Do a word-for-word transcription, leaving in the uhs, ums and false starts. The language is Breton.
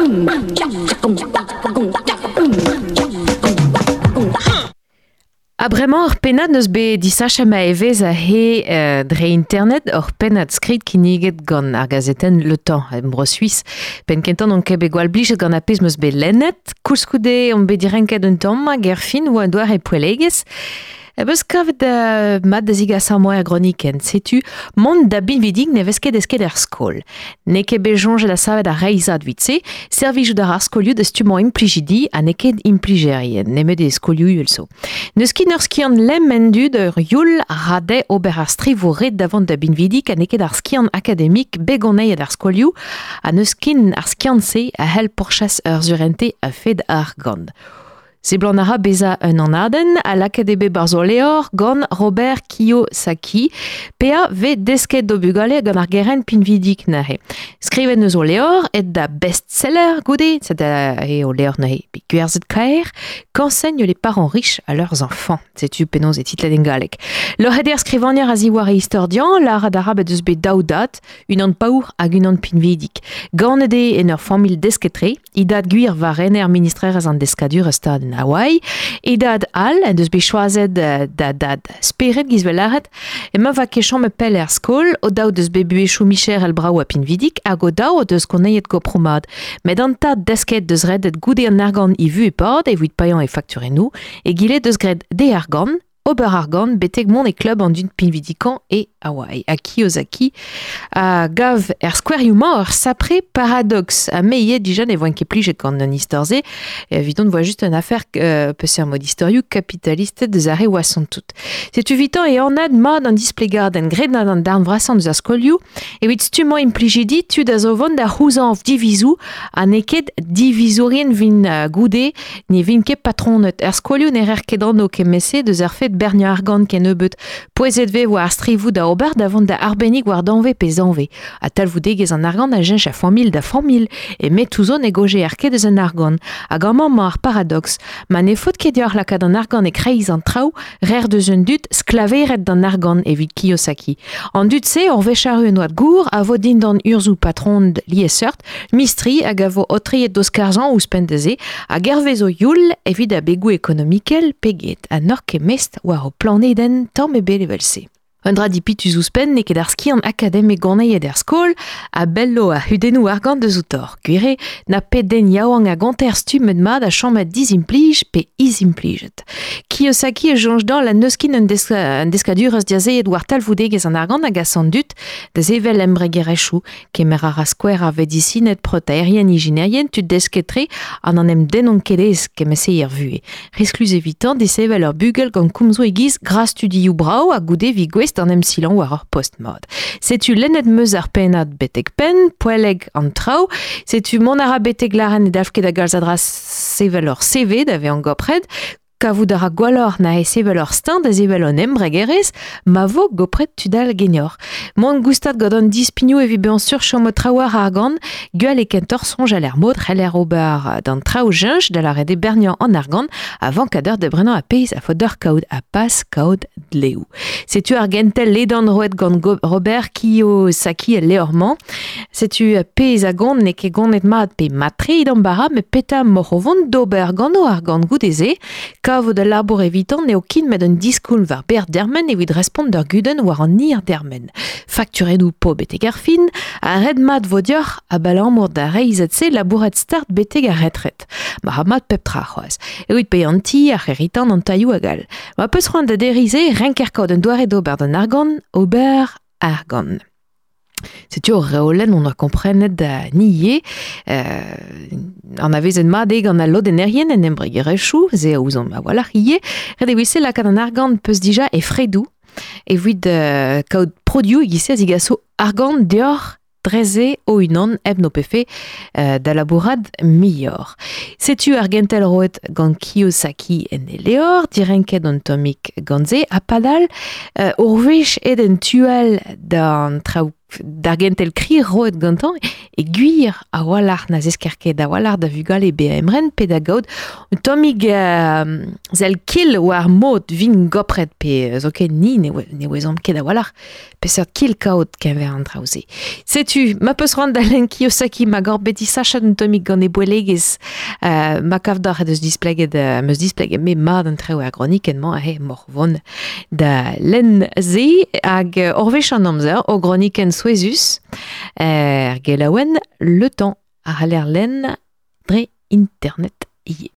Ha bremañ ur pennad neus bet disachet ma evezh a he euh, dre internet ur pennad skrid kinniget gant ar gazetenn Le Temps e bro Suisse. Penn kentañ on ket bet gwall blijet gant ar pezh meus bet lennet, koulskoude on bet direnket un tamm hag er fin oa un doare poellegezh. E beus kavet uh, mat da zigas ar moer groniken. Setu mont da binvidig ne vez ket desket er skol. N'eo ket bet soñjet da savet ar reizhad evit-se, servijout ar ar skolioù da stummañ implijidi ha n'eo ket implijerien, nemet e skolioù uhel zo. N'eus ket ur skiant lemm en dud ur youl rade ober ar strivoù ret da vont da binvidik ha n'eo ket ar skiant akademik begoneiet ar skolioù ha n'eus ket ar skiant-se a c'hell pourchas ur surente a-fed argant. Seblant a ra bezañ un anadenn a lakaet eo bet barzh o levr gant Robert Kiyosaki, pea vez desket d'o bugale gant ar gerent pinvidik neuze. Skrivet neus o levr et da best-seller goude, c'est da eo levr neuze bet gwerzhet kaer, qu'enseignent les parents riches à leurs enfants. Setu penaos e titlet en galleg. Loc'het eo ar skrivagner a ziwar e istordian, lâret a ra bet eus bet daou dad, unan paour hag unan pinvidik. Ganet eo en ur familh desket-tre, e dad gwir war rener ministrerezh an deskadur stad en Hawaï, e dad all en deus bet choazet da dad spered giz vel lâret, emañ va ket chom e pell er skol, o daou deus bet buhezioù micherel brav ha pinvidik, hag o daou o deus koneiet gopromad. Met an tad desket deus redet goude an argant e vu e pad, evit paeañ e fakturennoù, egile deus graet de argant, ober argant betek mont e klub an dud pinvidikañ e Hawaï. Ha Kiyosaki a gav er skouerioù-mañ ur sapre paradox. Ha me ivez dija ne voen ket plijet gant an istor-se. Evidon voa just un affaire euh, peseurt mod istorioù kapitalisted deus ar re oasont tout. Setu 'vitañ e anad mat an displegadenn graet gant an darn vrasañ deus ar skolioù, evit stummañ implijidi tud a zo vont da c'houzañv divizoù ha n'eo ket divizourien vin uh, goude ne vin ket patronet. Er skolioù ne rer ket anv kement-se deus ar fet berniañ argant kennebeut. Pouezet vez war ar strivoù da ober da vont da arbennig war danve pe zanve. Ha talvoudegezh an argant a jench a familh da familh, e metouzo ne goje ar ket eus an argant. Hag amañ emañ ar paradox. Ma ne faot ket deoc'h lakaat an argant e kreiz an traoù, rer deus un dud sklaveret d'an argant evit Kiyosaki. An dud-se ur wech arru en oad gour a vo dindan urzhoù patron liesseurt, mistri hag a vo aotreet d'o skarzhañ ouzhpenn da-se, hag hervez o youl evit abegoù ekonomikel pe get, ha n'oc'h ket mest war ho planedenn tamm ebet evel-se. Un dra dipitus ouzhpenn n'eo ket ar skiant akademek goneiet er skol a bello a hudennoù argant deus outor. Gwir eo, na pet den yaouank a gonter stummet mat a chomet dizimplij pe izimplijet. Kiyosaki e soñj dañ la n'eus ket un, deska, un deskadurezh diazeet war talvoudegezh an argant hag a dud da sevel embregerezhioù, kemer a ra skouer ar vedisined protaerien ijinerien tud desket-tre an an em denont ket aes kement-se er vuhez. Risklus evitañ desevel ur bugel gant komzoù e-giz gra studioù brav ha goude vi gouest an em silañ war ur post mat. Setu lennet meus ar pennad betek penn, poelleg an traoù, setu mont a ra betek lâren ne dalv ket da galz a dra sevel ur C V da vezañ gopret, kavout a ra gwelloc'h na e sevel ur steuñv da sevel un embregerezh, ma vo gopret tud all ganeoc'h. Mont goustad gant an dispignoù evit bezañ sur chom traoù ar argant, gwell e kentoc'h soñjal er mod c'heller ober d'an traoù jeñch da lâret eo berniañ an argant avant kadeur da brenañ a pezh a faot deoc'h kaout ha pas kaout dleoù. Setu ar gentel ledan roet gant Go- Robert Kiyosaki el levr-mañ. Setu pezh a gont n'eo ket gonet mat pe matre d'an bara, met petra m'oc'h o vont d'ober gant o argant goude-se, kavout al labour evitan n'eo ket met un diskoulm war ber dermen evit respont d'ur gudenn war an hir dermen. Fakturennoù po betek ar fin, ha ret mat vo deoc'h abalamour da reizhet-se labourat start betek ar retret. Ma ra mat pep tra c'hoazh. Evit paeañ an ti, ar c'heritan, an tailhoù hag all. Ma peus c'hoant da derriñ-se, renker kaout un doare d'ober d'an argant, ober argant. Setu ur reolenn on a komprenet da ni ivez, euh, an avezet mat eo gant al lodennerien en embregerezhioù, se a ouzomp a-walc'h ivez, ret eo se lakaat an argant peus dija e fredoù, evit euh, kaout produioù e-giz-se a zigaso argant deoc'h dreze o-unan hep n'ho pefe euh, da labourat muioc'h. Setu ar gentel roet gant Kiyosaki en e levr, direnket an tammig gant se, ha padal euh, ur wech aet en tu all d'an traoù d'ar gentel kri roet gantañ e gwir a walc'h na zesker ket a walc'h da vugale be emren pe da gaout un tammig euh, zel kil war mod vin gopret pe zo ket ni ne, ne ouezomp ket a walc'h peseurt kil kaout keñver an traoù-se. Setu, ma peus c'hoant da lenn Kiyosaki ma gor beti sachat un tammig gant e boelegez euh, ma kav d'ar deus displeget euh, meus displeget me mad an traoù ar gronikenn-mañ he mor vont da lenn ze hag euh, orvech an amzer o gronikenn souezus er gelaouen Le Temps a c'haller lenn dre internet ie.